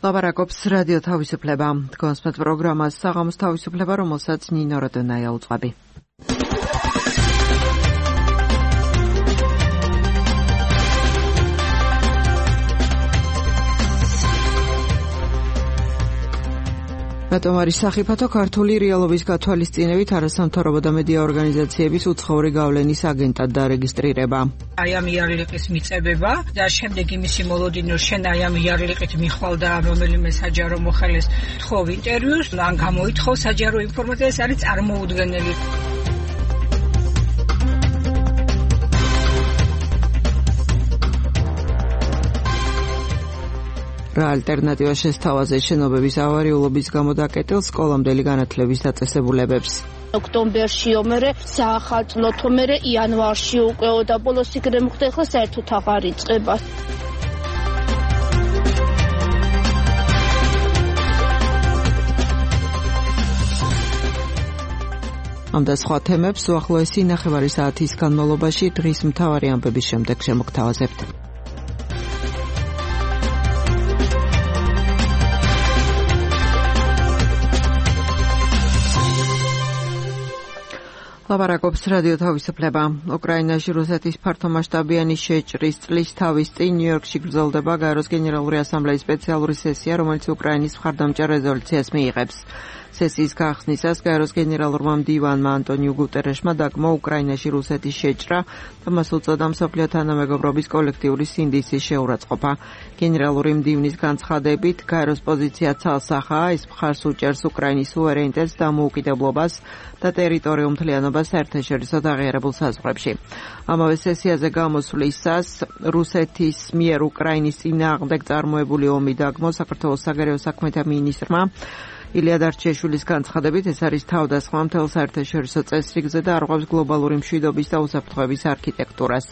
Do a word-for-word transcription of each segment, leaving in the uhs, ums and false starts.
ლაპარაკობს რადიო თავისუფლება. Თქვენს პროგრამას საღამოს თავისუფლება, რომელსაც ნინო როდონაია უწყობი. რატომ არის სახიფათო ქართული რეალობის გათვალისწინებით არასამთავრობო და მედია ორგანიზაციების უცხოური გავლენის აგენტად დარეგისტრირება? აი ამ იარლიყის მიწებება და შემდეგ იმისი მოლოდინო შენ აი ამ იარლიყით მიხვალ და რომელიმე საჯარო მოხელეს თხოვ ინტერვიუს, ან გამოითხოვ საჯარო ინფორმაცია, ეს არის წარმოუდგენელი. რა ალტერნატივა შესთავაზეს შენობების ავარიულობის გამო დაკეტილ სკოლამდელი განათლების დაწესებულებებს? ოქტომბერში ომერე საახალწლოთო მერე იანვარში უკეო და ბოლოს იქნებ მოხდა ახლა საერთოდ აღარ იწყება. ამ და სხვა თემებს უახლოესი ნახევარი საათის განმავლობაში დღის მთავარი ამბების შემდეგ შემოგთავაზებთ. ლაპარაკობს რადიო თავისუფლება. უკრაინაში რუსეთის ფართომასშტაბიანი შეჭრის წლის თავის წინ ნიუ-იორკში გრძელდება გაეროს გენერალური ასამბლეის სპეციალური სესია, რომელიც უკრაინის მხარდამჭერ რეზოლუციას მიიღებს. სესიის გახსნისას გაეროს გენერალურმა მდივანმა ანტონიუ გუტერეშმა დაგმო უკრაინაში რუსეთის შეჭრა და მას უწოდა მსოფლიო თანამეგობრობის კოლექტიური სინდისის შეურაცხყოფა. გენერალური მდივნის განცხადებით, გაეროს პოზიცია ცალსახაა, ის მხარს უჭერს უკრაინის სუვერენიტეტს, დამოუკიდებლობას და ტერიტორიულ მთლიანობას საერთაშორისო აღიარებულ საზღვრებში. ამავე სესიაზე გამოსვლისას რუსეთის მიერ უკრაინის წინააღმდეგ წარმოებული ომი დაგმო საქართველოს საგარეო საქმეთა მინისტრმა ილია დარჩეშვილის განცხადებით, ეს არის თავდასხმა მთელ საერთაშორისო წესრიგზე და არღვევს გლობალური მშვიდობის და უსაფრთხოების არქიტექტურას.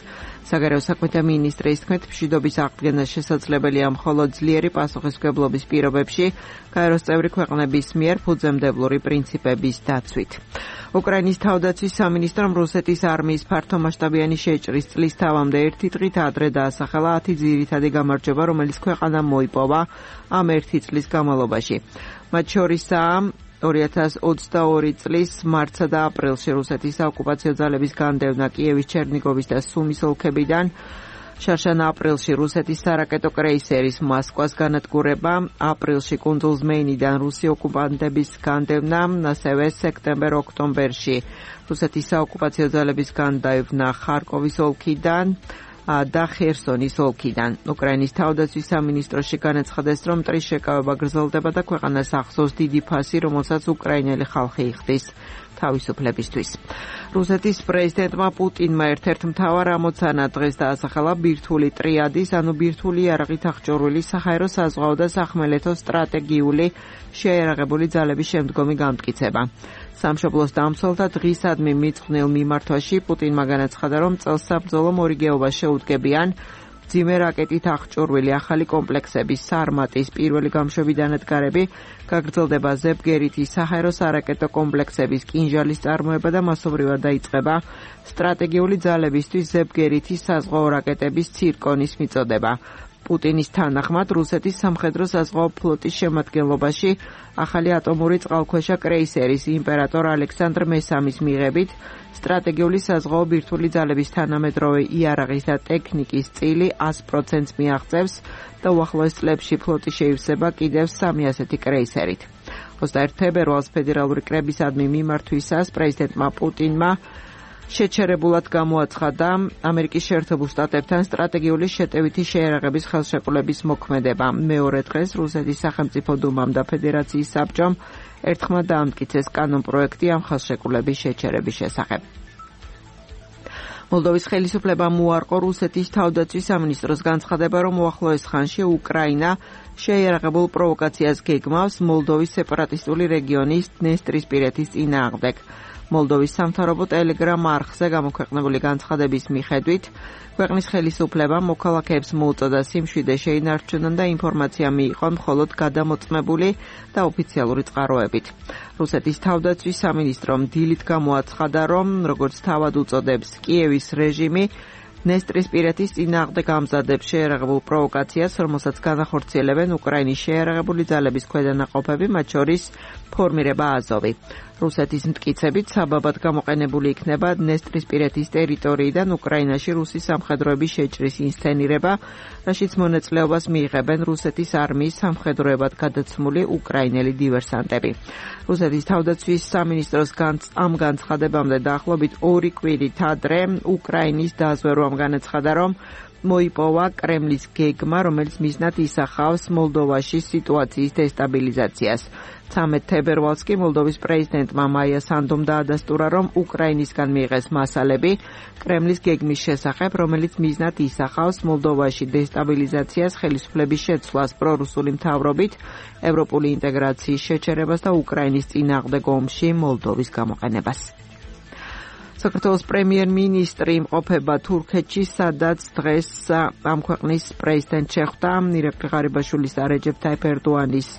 საგარეო საქმეთა მინისტრის თქმით, მშვიდობის აღდგენა შესაძლებელია მხოლოდ ძლიერი პასუხისმგებლობის პირობებში, გაეროს წევრი ქვეყნების მიერ ფუძემდებლური პრინციპების დაცვით. უკრაინის თავდაცვის სამინისტრომ რუსეთის არმიის ფართომასშტაბიანი შეჭრის წლის თავამდე ერთი დღით ადრე დაასახელა ათი ძირითადი გამარჯვება, რომელიც ქვეყანამ მოიპოვა ამ ერთი წლის განმავლობაში. მათ შორისაა ორი ათას ოცდაორი წლის მარტსა და აპრილში რუსეთის საოკუპაციო ძალების განდევნა კიევის, ჩერნიგოვის და სუმის ოლქებიდან, შარშან აპრილში რუსეთის სარაკეტო კრეისერის მოსკვას განადგურება, აპრილში კუნძულ ზმეინიდან რუსი ოკუპანტების განდევნა, ასევე სექტემბერ-ოქტომბერში რუსეთის საოკუპაციო ძალების განდევნა ხარკოვის ოლქიდან და ხერსონის ოლქიდან. უკრაინის თავდაცვის სამინისტროში განაცხადეს, რომ მტრის შეკავება გრძელდება და ქვეყანას ახსოვს დიდი ფასი, რომელსაც უკრაინელი ხალხი იხდის თავისუფლებისთვის. რუსეთის პრეზიდენტმა პუტინმა ერთ-ერთ მთავარ ამოცანად დღეს დაასახელა ბირთვული ტრიადის, ანუ ბირთვული იარაღით აღჭურვილი საჰაერო, საზღვაო და სახმელეთო სტრატეგიული შეიარაღებული ძალების შემდგომი გამტკიცება. სამშობლოს დამცველთა დღისადმი მიწყვნილ მიმართვაში პუტინმა განაცხადა, რომ წელს საბრძოლო მორიგეობა შეუდგებიან მძიმე რაკეტით აღჭურვილი ახალი კომპლექსების სარმატის პირველი გამშვები დანადგარები, გაგრძელდება ზებგერითი საჰაერო სარაკეტო კომპლექსების კინჟალის წარმოება და მასობრივად დაიწყება სტრატეგიული ძალებისთვის ზებგერითი საზღვაო რაკეტების ცირკონის მიწოდება. პუტინის თანახმად რუსეთის სამხედრო საზღვაო ფლოტის შემადგენლობაში ახალი ატომური წყალქვეშა კრეისერის იმპერატორ ალექსანდრ მესამის მიღებით სტრატეგიული საზღვაო ბირთვული ძალების თანამედროვე იარაღის და ტექნიკის წილი ას პროცენტს მიაღწევს და უახლოეს წლებში ფლოტი შეივსება კიდევ სამი ასეთი კრეისერით. ოცდაერთი თებერვალს ფედერალური კრებისადმი მიმართვისას პრეზიდენტმა პუტინმა შეჩერებულად გამოაცხადა ამერიკის შეერთებულ შტატებთან სტრატეგიული შეტევითი შეიარაღების ხელშეკრულების მოქმედება. მეორე დღეს რუსეთის სახელმწიფო დუმამ და ფედერაციის საბჭომ ერთხმად დაამტკიცეს კანონპროექტი ამ ხელშეკრულების შეჩერების შესახებ. მოლდოვის ხელისუფლებამ უარყო რუსეთის თავდაცვის სამინისტროს განცხადება, რომ უახლოეს ხანში უკრაინა შეიარაღებულ პროვოკაციას გეგმავს მოლდოვის სეპარატისტული რეგიონის დნესტრისპირეთის წინააღმდეგ. მოლდოვის სამთავრობო ტელეგრამ არხზე გამოქვეყნებული განცხადების მიხედვით, ქვეყნის ხელისუფლებამ მოქალაქეებს მოუწოდა სიმშვიდე შეინარჩუნონ და ინფორმაცია მიიღონ მხოლოდ გადამოწმებული და ოფიციალური წყაროებით. რუსეთის თავდაცვის სამინისტრომ დილით გამოაცხადა, რომ როგორც თავად უწოდებს კიევის რეჟიმი, ნესტრისპირეთის წინააღმდეგ ამზადებს შეიარაღებულ პროვოკაციას, რომელსაც განახორციელებენ უკრაინის შეიარაღებული ძალების ქვედანაყოფები, მათ შორის ფორმირება აზოვი. რუსეთის მტკიცებით საბაბად გამოყენებული იქნება ნესტრისპირეთის ტერიტორიიდან უკრაინაში რუსი სამხედროების შეჭრის ინსცენირება, რაშიც მონაწილეობას მიიღებენ რუსეთის არმიის სამხედროებად გადაცმული უკრაინელი დივერსანტები. რუსეთის თავდაცვის სამინისტროს ამ განცხადებამდე დაახლოებით ორი კვირით ადრე უკრაინის დაზვერვამ განაცხადა, რომ მოიპოვა კრემლის გეგმა, რომელიც მიზნად ისახავს მოლდოვაში სიტუაციის დესტაბილიზაციას. ცამეტ თებერვალს კი მოლდოვის პრეზიდენტმა მაია სანდომ დაადასტურა, რომ უკრაინისგან მიიღეს მასალები კრემლის გეგმის შესახებ, რომელიც მიზნად ისახავს მოლდოვაში დესტაბილიზაციას, ხელისუფლების შეცვლას პრორუსული მთავრობით, ევროპული ინტეგრაციის შეჩერებას და უკრაინის წინააღმდეგ ომში მოლდოვის გამოყენებას. საქართველოს პრემიერ-მინისტრი იმყოფება თურქეთში, სადაც დღეს ამ ქვეყნის პრეზიდენტ შეხვდა ირაკლი ღარიბაშვილის და რეჯეფ თაიფ ერდოანის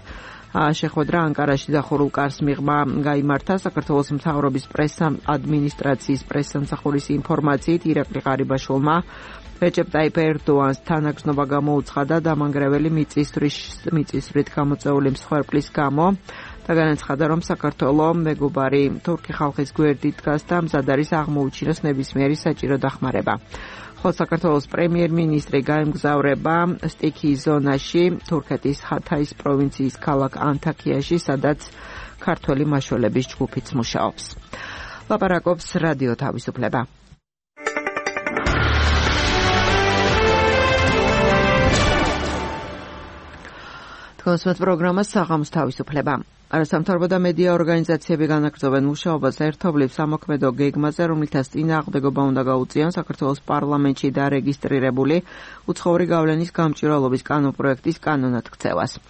შეხვედრა ანკარაში დახურულ კარს მიღმა გაიმართა. საქართველოს მთავრობის პრესა ადმინისტრაციის პრესსამსახურის ინფორმაციით ირაკლი ღარიბაშვილმა რეჯეფ თაიფ ერდოანს თანაგზნობა გამოუცხადა დამანგრეველი მიწისძვრით გამოწვეული მსხვერპლის გამო და განაცხადა, რომ საქართველო მეგობარი თურქი ხალხის გვერდით დგას და მზად არის აღმოუჩინოს ნებისმიერი საჭირო დახმარება. ხოლო საქართველოს პრემიერ-მინისტრი გაემგზავრება სტიქიის ზონაში, თურქეთის ჰათაის პროვინციის ქალაქ ანთაქიაში, სადაც ქართველი მაშველების ჯგუფიც მუშაობს. ლაპარაკობს რადიო თავისუფლება. კონსმეთ პროგრამას საღამოს თავისუფლება. არასამთავრობო და მედია ორგანიზაციები განაგრძობენ მუშაობას ერთობლივ სამოქმედო გეგმაზე, რომლითაც წინააღმდეგობა უნდა გაუწიონ საქართველოს პარლამენტში დარეგისტრირებული უცხოური გავლენის გამჭვირვალობის კანონპროექტის კანონად ქცევას.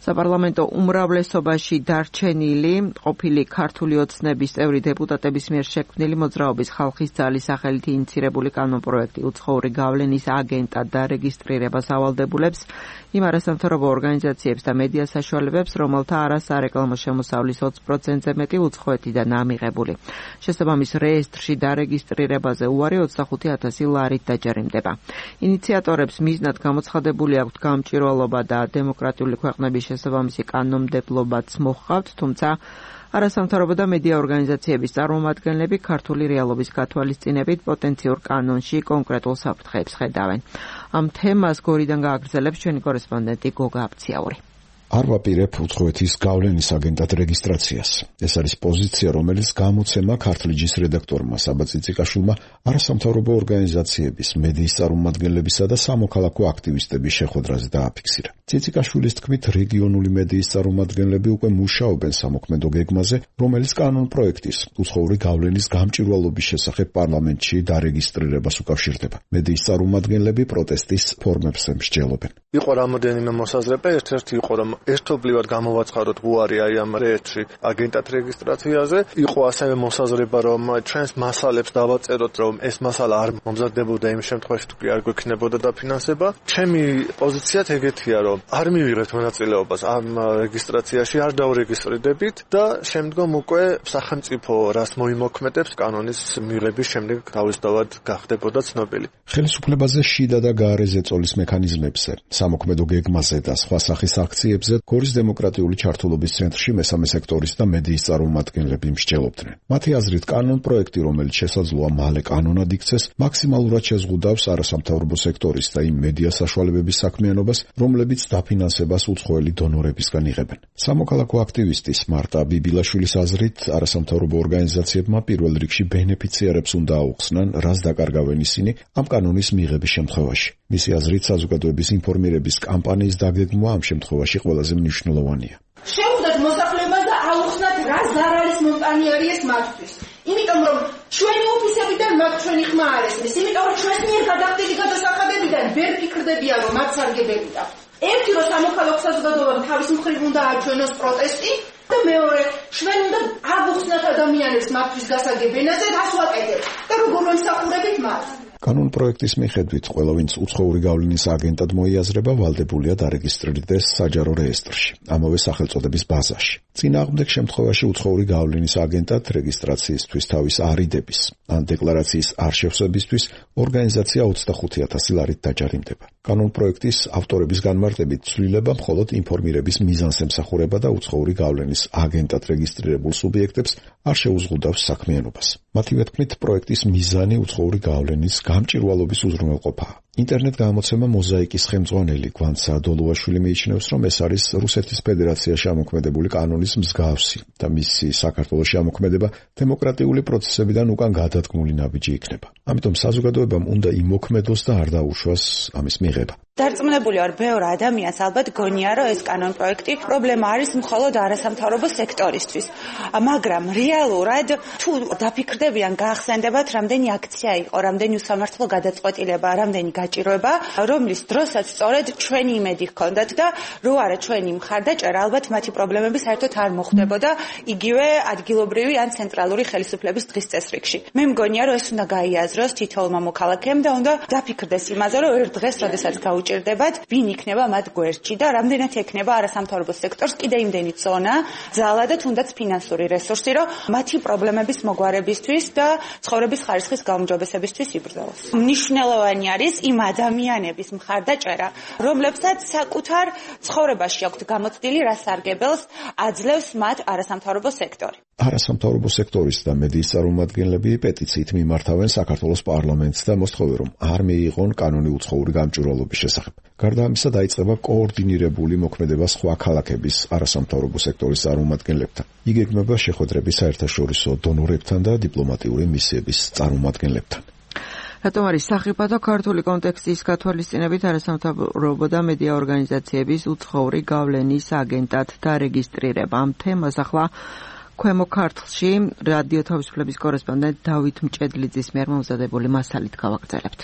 საპარლამენტო უმრავლესობაში დარჩენილი ყოფილი ქართული ოცნების წევრი დეპუტატების მიერ შექმნილი მოძრაობის ხალხის ძალის სახელით ინიცირებული კანონპროექტი უცხოური გავლენის აგენტად დარეგისტრირებას ავალდებულებს იმ არასამთავრობო ორგანიზაციებს და მედია საშუალებებს, რომელთა არასარეკლამო შემოსავლის ოცი პროცენტზე მეტი უცხოეთიდანაა მიღებული. შესაბამის რეესტრში დარეგისტრირებაზე უარი ოცდახუთი ათასი ლარით დაჯერიმდება. ინიციატორებს მიზნად გამოცხადებული აქვთ გამჭვირვალობა და დემოკრატიული ქვეყნების შესაბამისი კანონმდებლობაც მოჰყავთ, თუმცა არასამთავრობო და მედია ორგანიზაციების წარმომადგენლები ქართული რეალობის გათვალისწინებით პოტენციურ კანონში კონკრეტულ საფრთხეებს ხედავენ. ამ თემას გორიდან გააგრძელებს ჩვენი კორესპონდენტი გოგა აბციაური. არ ვაპირებ უცხოეთის გავლენის აგენტად რეგისტრაციას. ეს არის პოზიცია, რომელიც გამოცემა ქართლიჯის რედაქტორმა საბა ციციკაშვილმა არასამთავრობო ორგანიზაციების, მედიის წარმომადგენლებისა და სამოქალაქო აქტივისტების შეხვედრაზე დააფიქსირა. ციციკაშვილის თქმით, რეგიონული მედიის წარმომადგენლები უკვე მუშაობენ სამოქმედო გეგმაზე, რომელიც კანონპროექტის უცხოური გავლენის გამჭვირვალობის შესახებ პარლამენტში დარეგისტრირებას უკავშირდება. მედიის წარმომადგენლები პროტესტის ფორმებს მსჯელობენ. იყო რამოდენიმე მოსაზრება, ერთ-ერთი იყო რომ ერთობლივად გამოვაცხადოთ უარი აი ამ რეესტრში აგენტად რეგისტრაციაზე. იყო ასევე მოსაზრება, რომ ჩვენს მასალებს დავაწეროთ, რომ ეს მასალა არ მომზადდებოდა იმ შემთხვევაში, თუ კი არ გვექნებოდა დაფინანსება. ჩემი პოზიციაც ეგეთია, რომ არ მივიღებთ მონაწილეობას ამ რეგისტრაციაში, არ დავრეგისტრირდებით და შემდგომ უკვე სახელმწიფო რას მოიმოქმედებს კანონის მიღების შემდეგ თავისთავად გახდებოდა ცნობილი. ხელისუფლებაზე შიდა და გარე ზეწოლის მექანიზმებზე, სამოქმედო გეგმაზე და სხვა სახის აქციებზე გორის დემოკრატიული ჩართულობის ცენტრში მესამე სექტორის და მედიის წარმომადგენლები მსჯელობდნენ. მათი აზრით, კანონპროექტი, რომელიც შესაძლოა მალე კანონად იქცეს, მაქსიმალურად შეზღუდავს არასამთავრობო სექტორის და იმ მედია საშუალებების საქმიანობას, რომლებიც დაფინანსებას უცხოელი დონორებისგან იღებენ. სამოქალაქო აქტივისტის მარტა ბიბილაშვილის აზრით, არასამთავრობო ორგანიზაციებმა პირველ რიგში ბენეფიციარებს უნდა აუხსნან, რას დაკარგავენ ისინი ამ კანონის მიღების შემთხვევაში. მისი აზრით, საზოგადოების ინფორმირების კამპანიის დაგეგმვა ამ შემთხვევაში ყველაზე მნიშვნელოვანია. შევხვდეთ მოსახლეობას და აუხსნათ, რა ზარალის მომტანი არის ეს მათთვის. იმიტომ რომ ჩვენი ოფისებიდან მათ ჩვენი ხმა არ ესმის, იმიტომ რომ ჩვენს მიერ გადახდილი გადასახადებიდან ვერ ფიქრდებიან, რომ მათ სარგებელია. ერთი რომ სამოქალაქო საზოგადოებამ თავის მხრივ უნდა აჩვენოს პროტესტი და მეორე ჩვენ უნდა აუხსნათ ადამიანებს მათთვის გასაგებენაზე, რას ვაკეთებთ და როგორ ვემსახურებით მათ. კანონპროექტის მიხედვით, ყველა ვინც უცხოური გავლენის აგენტად მოიაზრება, ვალდებულია დარეგისტრირდეს საჯარო რეესტრში, ამავე სახელწოდების ბაზაში. წინააღმდეგ შემთხვევაში უცხოური გავლენის აგენტად რეგისტრაციისთვის თავის არიდების ან დეკლარაციის არ შევსებისთვის ორგანიზაცია ოცდახუთი ათასი ლარით დაჯარიმდება. კანონპროექტის ავტორების განმარტებით ცვლილება მხოლოდ ინფორმირების მიზანს ემსახურება და უცხოური გავლენის აგენტად რეგისტრირებულ სუბიექტებს არ შეუზღუდავს საქმიანობას. მათივე თქმით, პროექტის მიზანი უცხოური გავლენის გამჭვირვალობის უზრუნველყოფაა. ინტერნეტ გამოცემა მოზაიკის ხელმძღვანელი გვანც საადოლოვაშვილი მიიჩნევს, რომ ეს არის რუსეთის ფედერაციაში ამოქმედებული კანონის მსგავსი და მისი საქართველოში ამოქმედება დემოკრატიული პროცესებიდან უკან გადადგმული ნაბიჯი იქნება. ამიტომ საზოგადოებამ უნდა იმოქმედოს და არ დაუშვას ამის მიღება. დარწმუნებული ვარ, ბევრ ადამიანს ალბათ გონია, რომ ეს კანონპროექტი პრობლემა არის მხოლოდ არასამთავრობო სექტორისთვის. მაგრამ რეალურად თუ დაფიქრდებიან, გაახსენდებათ, რამდენი აქცია იყო, რამდენი უსამართლო გადაწყვეტილება, რამდენი გაჭირვება, რომლის დროსაც სწორედ ჩვენი იმედი ჰქონდათ და რო არა ჩვენი მხარდაჭერა, ალბათ მათი პრობლემები საერთოდ არ მოხდებოდა იგივე ადგილობრივი ან ცენტრალური ხელისუფლების დღის წესრიგში. მე მგონია, რომ ეს უნდა გაიაზროს თითოეულმა მოქალაქემ და უნდა დაფიქრდეს იმაზე, რომ ერთ დღეს, როდესაც ჭირდებათ, ვინ იქნება მათ გვერდში და რამდენად ექნება არასამთავრობო სექტორს კიდე იმდენი ზონა, ძალა და თუნდაც ფინანსური რესურსი, რომ მათი პრობლემების მოგვარებისთვის და ცხოვრების ხარისხის გაუმჯობესებისთვის იბრძოლოს. მნიშვნელოვანი არის იმ ადამიანების მხარდაჭერა, რომლებსაც საკუთარ ცხოვრებაში აქვთ გამოცდილი, რა სარგებელს აძლევს მათ არასამთავრობო სექტორი. არასამთავრობო სექტორის და მედიის წარმომადგენლები პეტიციით მიმართავენ საქართველოს პარლამენტს და მოსთხოვენ, რომ არ მიიღონ კანონი უცხოური გამჭვირვალობის შესახებ. გარდა ამისა, დაიწყება კოორდინირებული მოქმედება სხვა ქალაქების არასამთავრობო სექტორის წარმომადგენლებთან. იგეგმება შეხვედრები საერთაშორისო დონორებთან და დიპლომატიური მისიების წარმომადგენლებთან. რატომ არის სახიფათო ქართული კონტექსტის გათვალისწინებით არასამთავრობო და მედია ორგანიზაციების უცხოური გავლენის აგენტად დარეგისტრირება? ამ თემას ახლა ქვემო ქართლში რადიო თავისუფლების კორესპონდენტ დავით მჭედლიძის მიერ მომზადებული მასალით გავაგრძელებთ.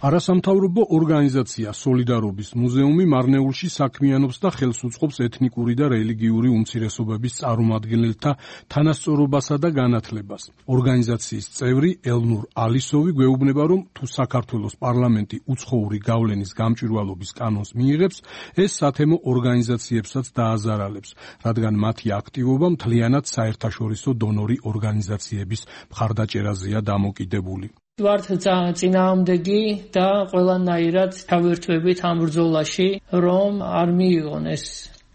არასამთავრობო ორგანიზაცია სოლიდარობის მუზეუმი მარნეულში საქმიანობს და ხელს უწყობს ეთნიკური და რელიგიური უმცირესობების წარმომადგენელთა თანასწორობასა და განათლებას. ორგანიზაციის წევრი ელნურ ალისოვი გვეუბნება, რომ თუ საქართველოს პარლამენტი უცხოური გავლენის გამჭვირვალობის კანონს მიიღებს, ეს სათემო ორგანიზაციებსაც დააზარალებს, რადგან მათი აქტივობა მთლიანად საერთაშორისო დონორი ორგანიზაციების მხარდაჭერაზეა დამოკიდებული. ვართ წინააღმდეგი და ყველანაირად თავერთვებით ამ ბრძოლაში, რომ არ მიიღონ ეს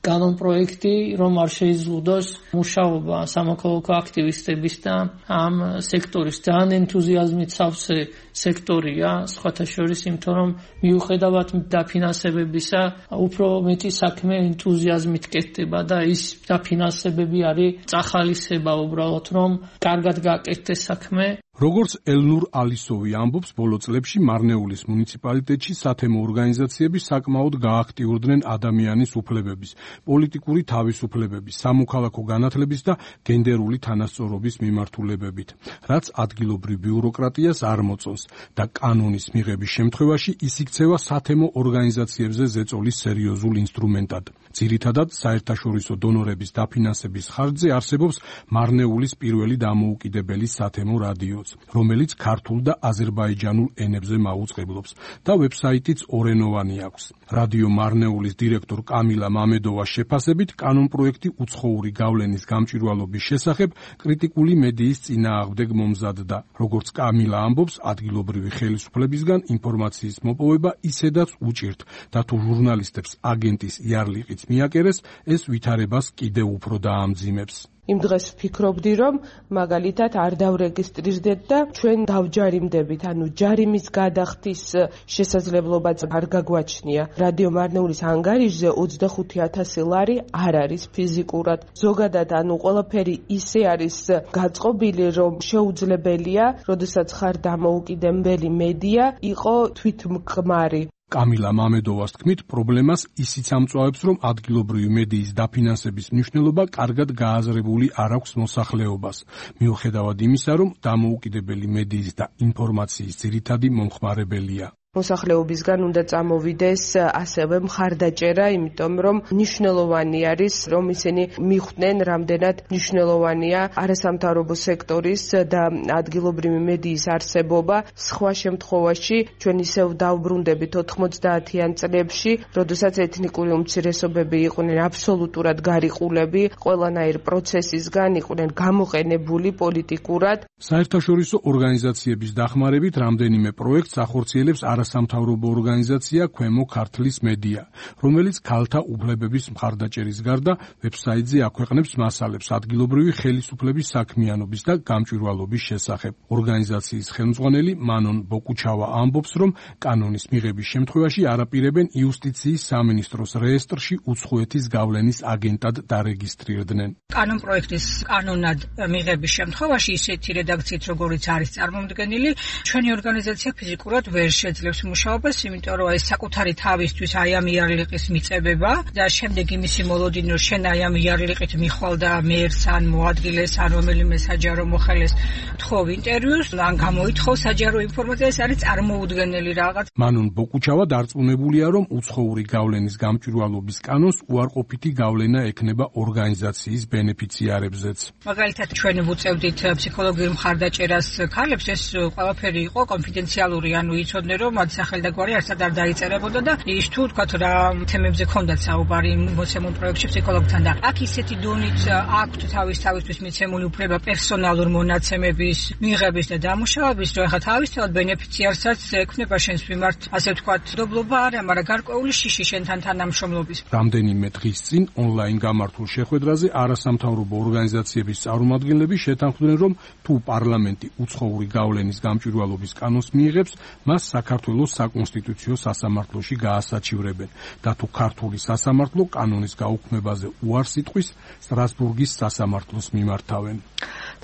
კანონპროექტი, რომ არ შეიზღუდოს მუშაობა სამოქალაქო აქტივისტების და ამ სექტორის ძალიან ენთუზიაზმით სავსე სექტორია, სხვათა შორის, იმიტომ რომ მიუხედავად დაფინანსებებისა, უფრო მეტი საქმე ენთუზიაზმით კეთდება და ის დაფინანსებები არის წახალისება უბრალოდ, რომ კარგად გააკეთდეს საქმე. როგორც ელნურ ალისოვი ამბობს, ბოლო წლებში მარნეულის მუნიციპალიტეტში სათემო ორგანიზაციები საკმაოდ გააქტიურდნენ ადამიანის უფლებების, პოლიტიკური თავისუფლებების, სამოქალაქო განათლების და გენდერული თანასწორობის მიმართულებებით, რაც ადგილობრივ ბიუროკრატიას არ მოწონს და კანონის მიღების შემთხვევაში ის იქცევა სათემო ორგანიზაციებზე ზეწოლის სერიოზულ ინსტრუმენტად. ძირითადად საერთაშორისო დონორების დაფინანსების ხარჯზე არსებობს მარნეულის პირველი დამოუკიდებელი სათემო რადიო, რომელიც ქართულ და აზერბაიჯანულ ენებზე მაუწყებლობს და ვებსაიტიც ორენოვანი აქვს. რადიო მარნეულის დირექტორ კამილა მამედოვას შეფასებით, კანონპროექტი უცხოური გავლენის გამჭვირვალობის შესახებ კრიტიკული მედიის წინააღმდეგ მომზადდა. როგორც კამილა ამბობს, ადგილობრივი ხელისუფლებისგან ინფორმაციის მოპოვება ისედაც უჭირთ და თუ ჟურნალისტებს აგენტის იარლიყიც მიაკერეს, ეს ვითარებას კიდევ უფრო დაამძიმებს. იმ დღეს ვფიქრობდი, რომ მაგალითად არ დავრეგისტრირდეთ და ჩვენ დავჯარიმდებით, ანუ ჯარიმის გადახდის შესაძლებლობაც არ გაგვაჩნია. რადიო მარნეულის ანგარიშზე ოცდახუთი ათასი ლარი არ არის ფიზიკურად. ზოგადად, ანუ ყველაფერი ისე არის გაწყობილი, რომ შეუძლებელია, როდესაც ხარ დამოუკიდებელი მედია, იყო თვითმკმარი. კამილა მამედოვას თქმით, პრობლემას ისიც ამწვავებს, რომ ადგილობრივი მედიის დაფინანსების მნიშვნელობა კარგად გააზრებული არ აქვს მოსახლეობას, მიუხედავად იმისა, რომ დამოუკიდებელი მედიის და ინფორმაციის ძირითადი მომხმარებელია. მოსახლეობისგან უნდა წამოვიდეს ასევე მხარდაჭერა, იმიტომ რომ მნიშვნელოვანი არის, რომ ისინი მიხვდნენ, რამდენად მნიშვნელოვანია არასამთავრობო სექტორის და ადგილობრივი მედიის არსებობა. სხვა შემთხვევაში ჩვენ ისევ დავბრუნდებით ოთხმოცდაათიან წლებში, როდესაც ეთნიკური უმცირესობები იყვნენ აბსოლუტურად გარიყულები, ყველანაირ პროცესისგან იყვნენ გამოყენებული პოლიტიკურად. საერთაშორისო ორგანიზაციების დახმარებით რამდენიმე პროექტს ახორციელებს არასამთავრობო ორგანიზაცია ქვემო ქართლის მედია, რომელიც ქალთა უფლებების მხარდაჭერის გარდა ვებსაიტზე აქვეყნებს მასალებს ადგილობრივი ხელისუფლების საქმიანობის და გამჭვირვალობის შესახებ. ორგანიზაციის ხელმძღვანელი მანონ ბოკუჩავა ამბობს, რომ კანონის მიღების შემთხვევაში არაპირებენ იუსტიციის სამინისტროს რეესტრში უცხოეთის გავლენის აგენტად დარეგისტრირდნენ. კანონ პროექტის კანონად მიღების შემთხვევაში ისეთი რედაქციით, როგორიც არის წარმომდგენილი, ჩვენი ორგანიზაცია ფიზიკურად ვერ შეძლებს მუშაობას, იმიტომ რომ ეს საკუთარი თავისთვის აი ამ იარლიყის მიწებება და შემდეგ იმისი მოლოდინო შენ აი ამ იარლიყით მიხვალ და მერს ან მოადგილეს ან რომელიმე საჯარო მოხელეს თხოვ ინტერვიუს, ან გამოითხოვ საჯარო ინფორმაცია, ეს არის წარმოუდგენელი რაღაც. მანონ ბოკუჩავა დარწმუნებულია, რომ უცხოური გავლენის გამჭვირვალობის კანონს უარყოფითი გავლენა ექნება ორგანიზაციის ბენეფიციარებზეც. მაგალითად, ჩვენ ვუწევდით ფსიქოლოგიურ მხარდაჭერას ქალებს, ეს ყველაფერი იყო კონფიდენციალური, ანუ იცოდნენ, რომ მათ სახელი და გვარი არცად არ დაიწერებოდა და ის თუ თქვათ რა თემებზე ქონდათ საუბარი მოცემულ პროექტში ფსიქოლოგთან და აქ ისეთი დონით აქვთ თავის თავისთვის მიცემული უფლება პერსონალურ მონაცემების მიღების და დამუშავების, რომ ახლა თავისთავად ბენეფიციარსაც ექნება შენს მიმართ, ასე ვთქვათ, დობლობა არა, მაგრამ გარკვეული შიში შენთან თანამშრომლობის. რამდენიმე დღის წინ ონლაინ გამართულ შეხვედრაზე არასამთავრობო ორგანიზაციების წარმომადგენლები შეთანხმდნენ, რომ თუ პარლამენტი უცხოური გავლენის გამჭვირვალობის კანონს მიიღებს, მას საქართველოს საკონსტიტუციო სასამართლოში გაასაჩივრებენ და თუ ქართული სასამართლო კანონის გაუქმებაზე უარს იტყვის, სტრასბურგის სასამართლოს მიმართავენ.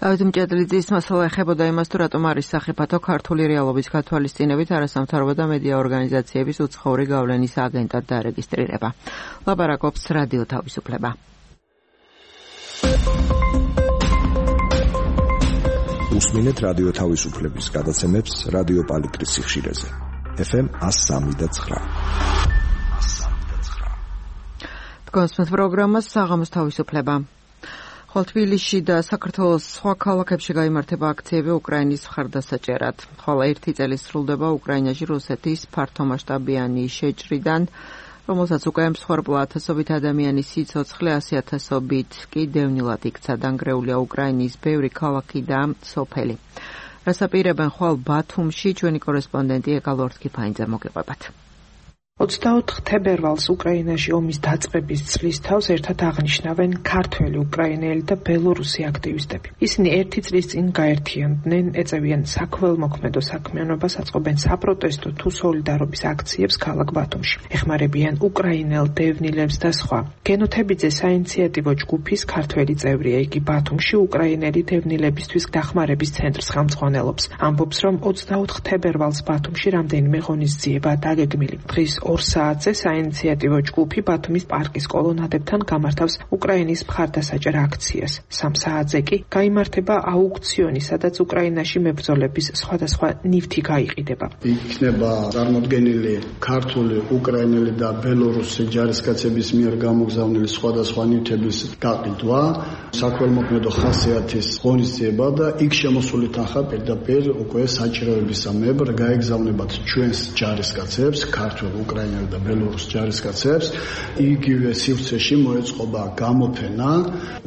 დავით მჭედლიძის მასალა ეხებოდა იმას, თუ რატომ არის სახიფათო ქართული რეალობის გათვალისწინებით არასამთავრობო და მედია ორგანიზაციების უცხოური გავლენის აგენტად დარეგისტრირება. ლაპარაკობს რადიო თავისუფლება. უსმინეთ რადიო თავისუფლების გადაცემებს რადიო პალიტრის სიხშირეზე. ეფ ემ one oh three და nine. გასმენთ პროგრამას საღამოს თავისუფლება. ხოლო თბილისში და საქართველოს სხვა ქალაქებში გაიმართება აქციები უკრაინის მხარდასაჭერად. ხოლო ერთი წელი სრულდება უკრაინაში რუსეთის ფართომასშტაბიანი შეჭრიდან, რომელსაც უკვე მსხვერპლა ათასობით ადამიანის სიცოცხლე, ასი ათასობით კი დევნილად იქცა. დანგრეულია უკრაინის ბევრი ქალაქი და სოფელი. რას აპირებენ ხვალ ბათუმში, ჩვენი კორესპონდენტი ეკალორთკიფაინძე მოგიყვებათ. ოცდაოთხ თებერვალს უკრაინაში ომის დაწყების წლის თავს ერთად აღნიშნავენ ქართველი, უკრაინელი და ბელორუსი აქტივისტები. ისინი ერთი წლის წინ გაერთიანდნენ, ეწევიან საქველმოქმედო საქმიანობას, აწყობენ საპროტესტო თუ სოლიდარობის აქციებს ქალაქ ბათუმში. ეხმარებიან უკრაინელ დევნილებს და სხვა. გენოთებიძე საინიციატივო ჯგუფის ქართველი წევრია, იგი ბათუმში უკრაინელი დევნილებისთვის დახმარების ცენტრს ხელმძღვანელობს. ამბობს, რომ ოცდაოთხ თებერვალს ბათუმში რამდენიმე ღონისძიება დაგეგმილი. დღის ორ საათზე საინიციატივო ჯგუფი ბათუმის პარკის კოლონადებთან გამართავს უკრაინის მხარდასაჭერ აქციას. სამ საათზე კი გაიმართება აუქციონი, სადაც უკრაინაში მებრძოლების სხვადასხვა ნივთი გაიყიდება. იქნება წარმოდგენილი ქართული, უკრაინელი და ბელორუსი ჯარისკაცების მიერ გამოგზავნილი სხვადასხვა ნივთების გაყიდვა, საქველმოქმედო ხასიათის ღონისძიება და იქ შემოსული თანხა პირდაპირ უკვე საჭიროებისამებრ გაეგზავნებათ ჩვენს ჯარისკაცებს, ქართულ, უკრაინელ და ბელორუს ჯარისკაცებს. იგივე სივრცეში მოეწყობა გამოფენა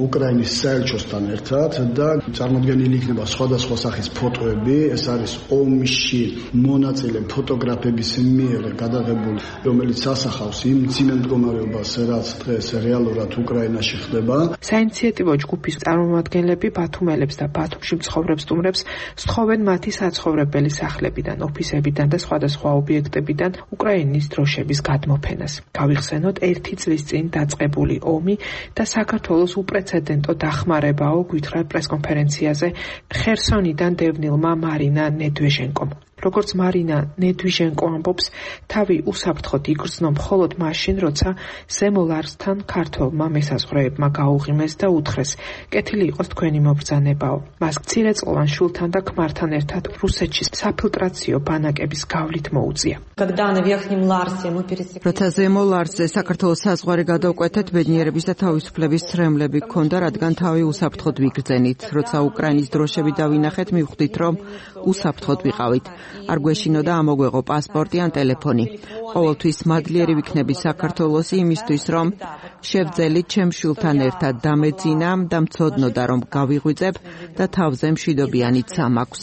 უკრაინის საელჩოსთან ერთად და წარმოდგენილი იქნება სხვადასხვა სახის ფოტოები. ეს არის ომში მონაწილე ფოტოგრაფების მიერ გადაღებული, რომელიც ასახავს იმ მძიმე მდგომარეობას, რაც დღეს რეალურად უკრაინაში ხდება. საინიციატივო ჯგუფის წარმომადგენლები ბათუმელებს და ბათუმში მცხოვრებ სტუმრებს სთხოვენ მათი საცხოვრებელი სახლებიდან, ოფისებიდან და სხვადასხვა ობიექტებიდან უკრაინის დროშების გადმოფენას. გავიხსენოთ ერთი წლის წინ დაწყებული ომი და საქართველოს უპრეცედენტო დახმარებაო, გვითხრა პრესკონფერენციაზე ხერსონიდან დევნილმა მარინა ნედვეჟენკომ. როგორც მარინა ნედვიჟენკო ამბობს, თავი უსაფრთხოდ იგრძნო მხოლოდ მაშინ, როცა ზემო ლარსთან ქართველმა მესაზღვრეებმა გაუღიმეს და უთხრეს, კეთილი იყოს თქვენი მობრძანებაო. მას მცირეწლოვან შვილთან და ქმართან ერთად რუსეთში საფილტრაციო ბანაკების გავლით მოუწია. როცა ზემო ლარსზე საქართველოს საზღვარი გადავკვეთეთ, ბედნიერების და თავისუფლების ცრემლები გქონდა, რადგან თავი უსაფრთხოდ ვიგრძენით. როცა უკრაინის დროშები დავინახეთ, მივხვდით, რომ უსაფრთხოდ ვიყავით. არ გვეშინოდა ამოგვეღო პასპორტი ან ტელეფონი. ყოველთვის მადლიერი ვიქნები საქართველოს იმისთვის, რომ შევძელით ჩემ შვილთან ერთად დამეძინა და მცოდნოდა, რომ გავიღვიძებ და თავზე მშვიდობიანიც სამაქვს.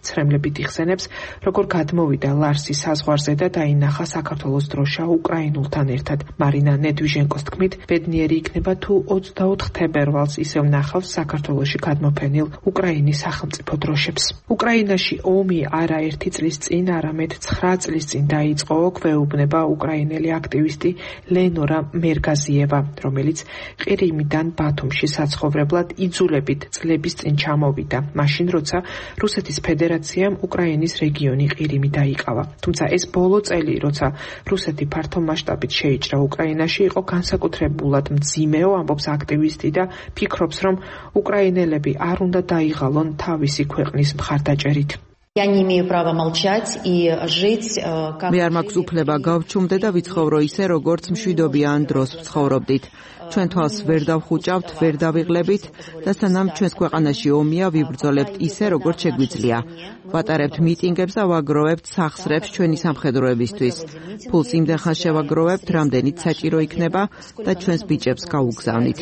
ცრემლებით იხსენებს, როგორ გადმოვიდა ლარსის საზღვარზე და დაინახა საქართველოს დროშა უკრაინულთან ერთად. მარინა ნედვიჟენკოს თქმით, ბედნიერი იქნება თუ ოცდაოთხ თებერვალს ისევ ნახავს საქართველოში გადმოფენილ უკრაინის სახელმწიფო დროშებს. უკრაინაში ომი არაერთი წლის წინ, არამედ ცხრა წლის წინ დაიწყო, გვეუბნება უკრაინელი აქტივისტი ლენორა მერგაზიევა, რომელიც ყირიმიდან ბათუმში საცხოვრებლად იძულებით წლების წინ ჩამოვიდა, მაშინ როცა რუსეთის ფედერაციამ უკრაინის რეგიონი ყირიმი დაიკავა. თუმცა ეს ბოლო წელი, როცა რუსეთი ფართომასშტაბით შეიჭრა უკრაინაში, იყო განსაკუთრებულად მძიმეო, ამბობს აქტივისტი და ფიქრობს, რომ უკრაინელები არ უნდა დაიღალონ თავისი ქვეყნის მხარდაჭერით. მე არ მაქვს უფლება გავჩუმდე და ვიცხოვრო ისე, როგორც მშვიდობიან დროს ვცხოვრობდით. ჩვენ თვალს ვერ დავხუჭავთ, ვერ დავიღლებით და სანამ ჩვენს ქვეყანაში ომია, ვიბრძოლებთ ისე, როგორც შეგვიძლია. ვატარებთ მიტინგებს და ვაგროვებთ სახსრებს ჩვენი სამხედროებისთვის. ფულს იმდენ ხანს შევაგროვებთ, რამდენიც საჭირო იქნება და ჩვენს ბიჭებს გავუგზავნით.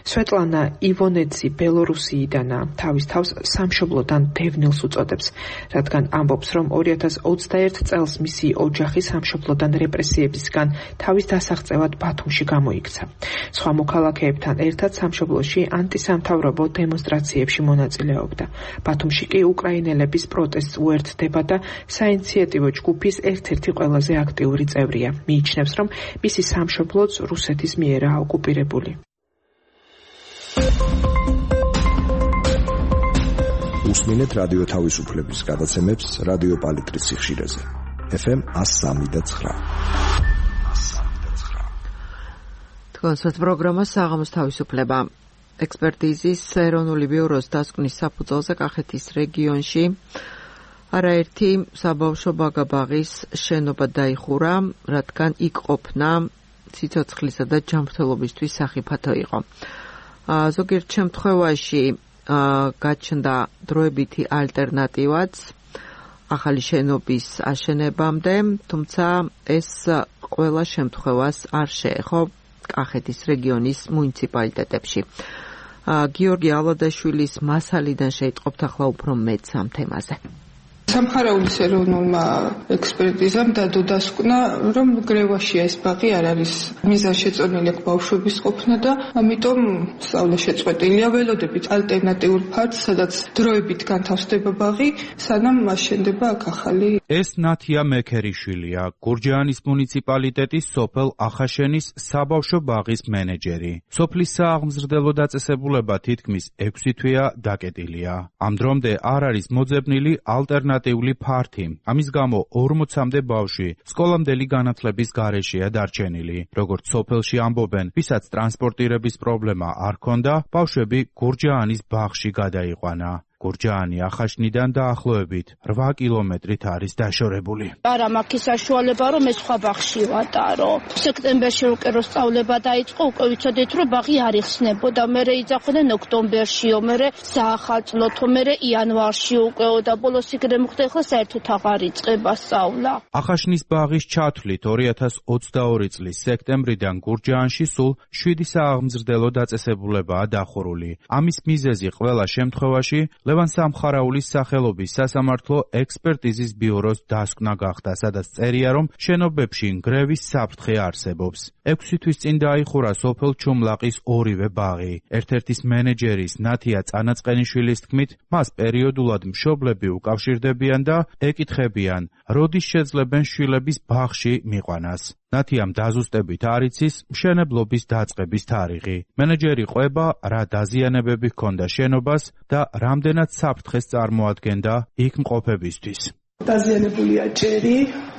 სვეტლანა ივონეცი ბელორუსიიდანა, თავის თავს სამშობლოდან დევნილს უწოდებს, რადგან ამბობს, რომ ორი ათას ოცდაერთ წელს მისი ოჯახი სამშობლოდან რეპრესიებისგან თავის დასაღწევად ბათუმში გამოიქცა. სხვა მოქალაქეებთან ერთად სამშობლოში ანტისამთავრობო დემონსტრაციებში მონაწილეობდა. ბათუმში კი უკრაინელების პროტესტს უერთდება და საინიციატივო ჯგუფის ერთ-ერთი ყველაზე აქტიური წევრია. მიიჩნევს, რომ მისი სამშობლოც რუსეთის მიერაა ოკუპირებული. უსმინეთ რადიო თავისუფლების გადაცემებს რადიო პალიტრის სიხშირეზე. ეფ ემ one oh three და nine. თქვენს პროგრამა საღამოს თავისუფლება. ექსპერტიზის ეროვნული ბიუროს დასკვნის საფუძველზე კახეთის რეგიონში არაერთი საბავშვო ბაგაბაღის შენობა დაიხურა, რადგან იქ ყოფნა სიცოცხლისა და ჯანმრთელობისთვის სახიფათო იყო. ზოგიერთ შემთხვევაში გაჩნდა დროებითი ალტერნატივაც ახალი შენობის აშენებამდე, თუმცა ეს ყველა შემთხვევას არ შეეხო კახეთის რეგიონის მუნიციპალიტეტებში. გიორგი ალადაშვილის მასალიდან შეიტყობთ ახლა უფრო მეტს ამ თემაზე. სამხარაულის ეროვნულმა ექსპერტიზამ დადო დასკვნა, რომ გრევაში ეს ბაღი არ არის მიზანშეწონილი ბავშვების ყოფნა და ამიტომ სწავლა შეწყვეტილია. ველოდებით ალტერნატიულ ფარდს, სადაც დროებით განთავსდება ბაღი, სანამ აშენდება აქ ახალი. ეს ნათია მექერიშვილია, გურჯაანის მუნიციპალიტეტის სოფელ ახაშენის საბავშვო ბაღის მენეჯერი. სოფლის სააღმზრდელო დაწესებულება თითქმის ექვსი თვეა დაკეტილია. ამ დრომდე არ არის მოძებნილი ალტერნატიული ფართი. ამის გამო ორმოცამდე ბავშვი სკოლამდელი განათლების გარეშეა დარჩენილი. როგორც სოფელში ამბობენ, ვისაც ტრანსპორტირების პრობლემა არ ჰქონდა, ბავშვები გურჯაანის ბაღში გადაიყვანა. გურჯაანი ახაშნიდან დაახლოებით რვა კილომეტრით არის დაშორებული. არა მაქვს საშუალება, რომ ეს სხვა ბაღში ვატარო. სექტემბერში უკვე რო სწავლება დაიწყო, უკვე ვიცოდით, რომ ბაღი არ იხსნებოდა. მერე იძახდნენ ოქტომბერშიო, მერე საახალწლოთო, მერე იანვარში უკეო და ბოლოს იქნებ მოხდა, ახლა საერთოდ აღარ იწყება სწავლა. ახაშნის ბაღის ჩათვლით ორი ათას ოცდაორი წლის სექტემბრიდან გურჯაანში სულ შვიდი სააღმზრდელო დაწესებულებაა დახურული. ამის მიზეზი ყველა შემთხვევაში ლევან სამხარაულის სახელობის სასამართლო ექსპერტიზის ბიუროს დასკვნა გახდა, სადაც წერია, რომ შენობებში ნგრევის საფრთხე არსებობს. ექვსი თვის წინ დაიხურა სოფელ ჩუმლაყის ორივე ბაღი. ერთ-ერთის მენეჯერის ნათია წანაწყენიშვილის თქმით, მას პერიოდულად მშობლები უკავშირდებიან და ეკითხებიან, როდის შეძლებენ შვილების ბაღში მიყვანას. ნათი ამ დაზუსტებით არ იცის მშენებლობის დაწყების თარიღი. მენეჯერი ყვება, რა დაზიანებები ჰქონდა შენობას და რამდენად საფრთხეს წარმოადგენდა იქ მყოფებისთვის. დაზიანებულია ჭერი,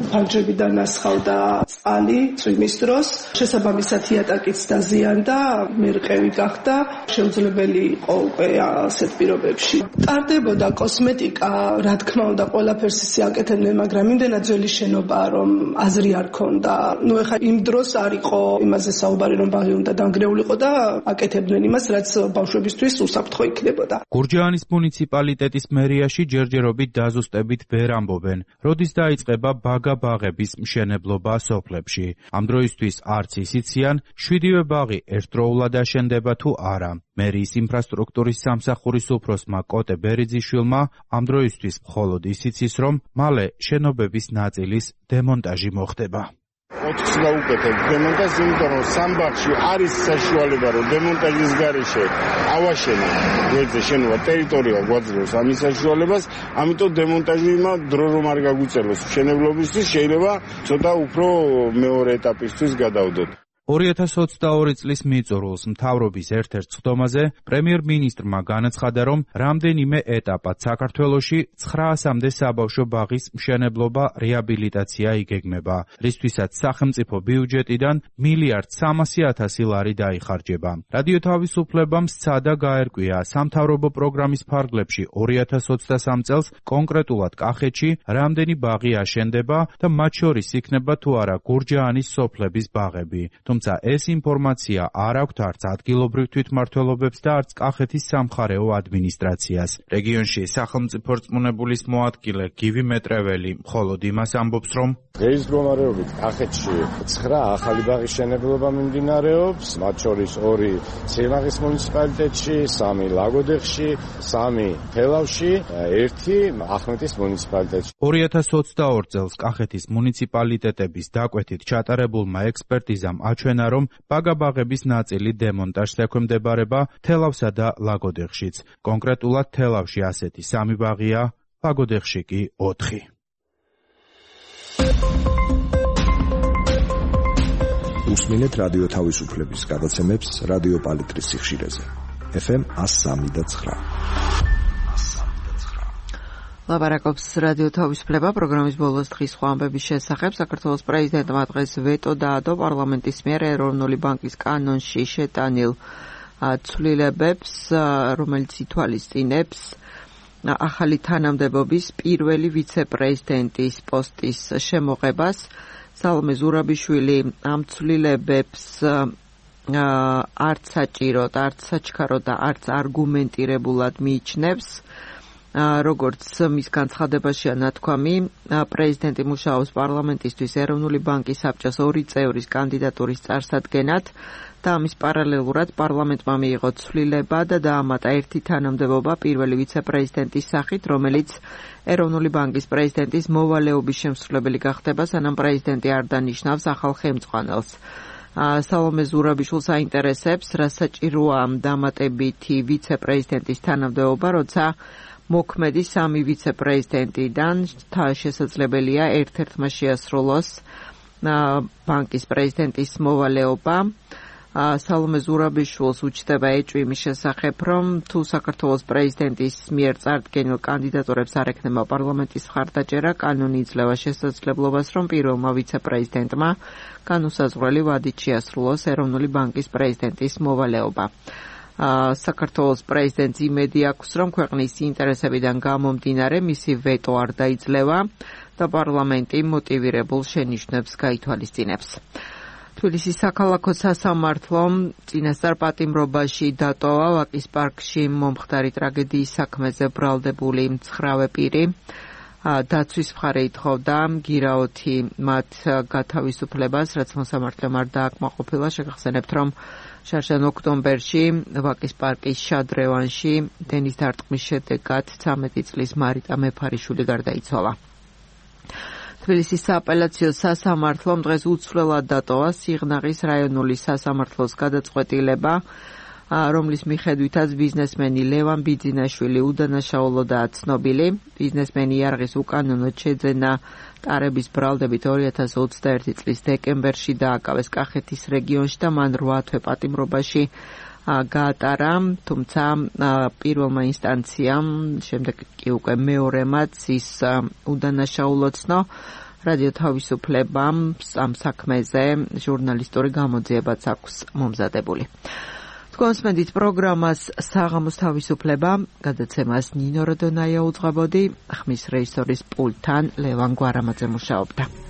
ფანჯრებიდან ასხავდა წყალი წვიმის დროს, შესაბამისად იატაკიც დაზიანდა, მერყევი გახდა, შეუძლებელი იყო უკვე ასეთ პირობებში. ტარდებოდა კოსმეტიკა, რა თქმა უნდა, ყველაფერს ისე აკეთებდნენ, მაგრამ იმდენად ძველი შენობაა, რომ აზრი არ ქონდა. ნუ ეხლა იმ დროს არ იყო იმაზე საუბარი, რომ ბაღი უნდა დანგრეულიყო და აკეთებდნენ იმას, რაც ბავშვებისთვის უსაფრთხო იქნებოდა. გურჯაანის მუნიციპალიტეტის მერიაში ჯერჯერობით დაზუსტებით ვერ ამბობენ, როდის დაიწყება ბაგა-ბაღების მშენებლობა სოფლებში. ამ დროისთვის არც ისიციან, შვიდივე ბაღი ერთდროულად აშენდება თუ არა. მერიის ინფრასტრუქტურის სამსახურის უფროსმა კოტე ბერიძიშვილმა ამ დროისთვის მხოლოდ ისიც ის, რომ მალე შენობების ნაწილის დემონტაჟი მოხდება. ოთხ წლა უკეთებ დემონტაჟს, იმიტომ რომ სამ ბაღში არის საშუალება, რომ დემონტაჟის გარეშე ავაშენო გვერდზე შენობა ტერიტორია გვაძლევს ამის საშუალებას, ამიტომ დემონტაჟმა დრო რომ არ გაგვიწეროს მშენებლობისთვის, შეიძლება ცოტა უფრო მეორე ეტაპისთვის გადავდოთ. ორი ათას ოცდაორი წლის მიწურულს მთავრობის ერთ-ერთ სხდომაზე პრემიერ-მინისტრმა განაცხადა, რომ რამდენიმე ეტაპად საქართველოში ცხრაასამდე საბავშვო ბაღის მშენებლობა რეაბილიტაცია იგეგმება, რისთვისაც სახელმწიფო ბიუჯეტიდან მილიარდ სამასი ათასი ლარი დაიხარჯება. რადიო თავისუფლებამ სცადა გაერკვია სამთავრობო პროგრამის ფარგლებში ორი ათას ოცდასამ წელს კონკრეტულად კახეთში რამდენი ბაღი აშენდება და მათ შორის იქნება თუ არა გურჯაანის სოფლების ბაღები. თუმცა ეს ინფორმაცია არ აქვთ არც ადგილობრივ თვითმმართველობებს და არც კახეთის სამხარეო ადმინისტრაციას. რეგიონში სახელმწიფო რწმუნებულის მოადგილე გივი მეტრეველი მხოლოდ იმას ამბობს, რომ დღეის მდგომარეობით კახეთში ცხრა ახალი ბაღის მშენებლობა მიმდინარეობს, მათ შორის ორი ციმაღის მუნიციპალიტეტში, სამი ლაგოდეხში, სამი თელავში, ერთი ახმეტის მუნიციპალიტეტში. ორი ათას ოცდაორ წელს კახეთის მუნიციპალიტეტების დაკვეთით ჩატარებულმა ექსპერტიზამ აჩვენა, რომ ბაგა-ბაღების ნაწილი დემონტაჟს ექვემდებარება თელავსა და ლაგოდეხშიც. კონკრეტულად თელავში ასეთი სამი ბაღია, ლაგოდეხში კი ოთხი. უსმინეთ რადიო თავისუფლების გადაცემებს რადიო პალიტრის სიხშირეზე. ეფ ემ εκατო სამი და ცხრა. ლაბარაკობს რადიო თავისუფლება პროგრამის ბოლოს დღის სხვა ამბების შესახებ. საქართველოს პრეზიდენტმა დღეს ვეტო დაადო პარლამენტის მიერ ეროვნული ბანკის კანონში შეტანილ ცვლილებებს, რომელიც ითვალისწინებს ახალი თანამდებობის პირველი ვიცე-პრეზიდენტის პოსტის შემოღებას. სალომე ზურაბიშვილი ამ ცვლილებებს არც საჭიროდ, არც საჩქაროდ და არც არგუმენტირებულად მიიჩნევს. როგორც მის განცხადებაშია ნათქვამი, პრეზიდენტი მუშაობს პარლამენტისთვის ეროვნული ბანკის საბჭოს ორი წევრის კანდიდატურის წარსადგენად და ამის პარალელურად პარლამენტმა მიიღო ცვლილება და დაამატა ერთი თანამდებობა პირველი ვიცე-პრეზიდენტის სახით, რომელიც ეროვნული ბანკის პრეზიდენტის მოვალეობის შემსრულებელი გახდება, სანამ პრეზიდენტი არ დანიშნავს ახალ ხელმძღვანელს. სალომე ზურაბიშვილს აინტერესებს, რა საჭიროა დამატებითი ვიცე-პრეზიდენტის თანამდებობა, როცა მოქმედი სამი ვიცე-პრეზიდენტიდან შესაძლებელია ერთ-ერთმა შეასრულოს ბანკის პრეზიდენტის მოვალეობა. სალომე ზურაბიშვილს უჩნდება ეჭვი იმის შესახებ, რომ თუ საქართველოს პრეზიდენტის მიერ წარდგენილ კანდიდატურებს არ ექნება პარლამენტის მხარდაჭერა, კანონი იძლევა შესაძლებლობას, რომ პირველმა ვიცე-პრეზიდენტმა განუსაზღვრელი ვადით შეასრულოს ეროვნული ბანკის პრეზიდენტის მოვალეობა. საქართველოს პრეზიდენტს იმედი აქვს, რომ ქვეყნის ინტერესებიდან გამომდინარე მისი ვეტო არ დაიძლევა და პარლამენტი მოტივირებულ შენიშვნებს გაითვალისწინებს. თბილისის საქალაქო სასამართლომ წინასწარ პატიმრობაში დატოვა ვაკის პარკში მომხდარი ტრაგედიის საქმეზე ბრალდებული მცხრავე პირი. დაცვის მხარე ითხოვდა გირაოთი მათ გათავისუფლებას, რაც მოსამართლემ არ დააკმაყოფილა. შეგახსენებთ, რომ შარშან ოქტომბერში ვაკის პარკის შადრევანში დენის დარტყმის შედეგად ცამეტი წლის მარიტა მეფარიშვილი გარდაიცვალა. თბილისის სააპელაციო სასამართლომ დღეს უცვლელად დატოვა სიღნაღის რაიონული სასამართლოს გადაწყვეტილება, რომლის მიხედვითაც ბიზნესმენი ლევან ბიძინაშვილი უდანაშაულოდაა ცნობილი. ბიზნესმენი იარაღის უკანონოდ შეძენა ტარების ბრალდებით ორი ათას ოცდაერთი წლის დეკემბერში დააკავეს კახეთის რეგიონში და მან რვა თვე პატიმრობაში გაატარა, თუმცა პირველმა ინსტანციამ, შემდეგ კი უკვე მეორემაც ის უდანაშაულო ცნო. რადიო თავისუფლებამ ამ საქმეზე ჟურნალისტური გამოძიებაც აქვს მომზადებული. თქვენს მედით პროგრამას საღამოს თავისუფლება, გადაცემას ნინო როდონაია უძღვებოდი, ხმის რეჟისორის პულტთან ლევან გვარამაძე მუშაობდა.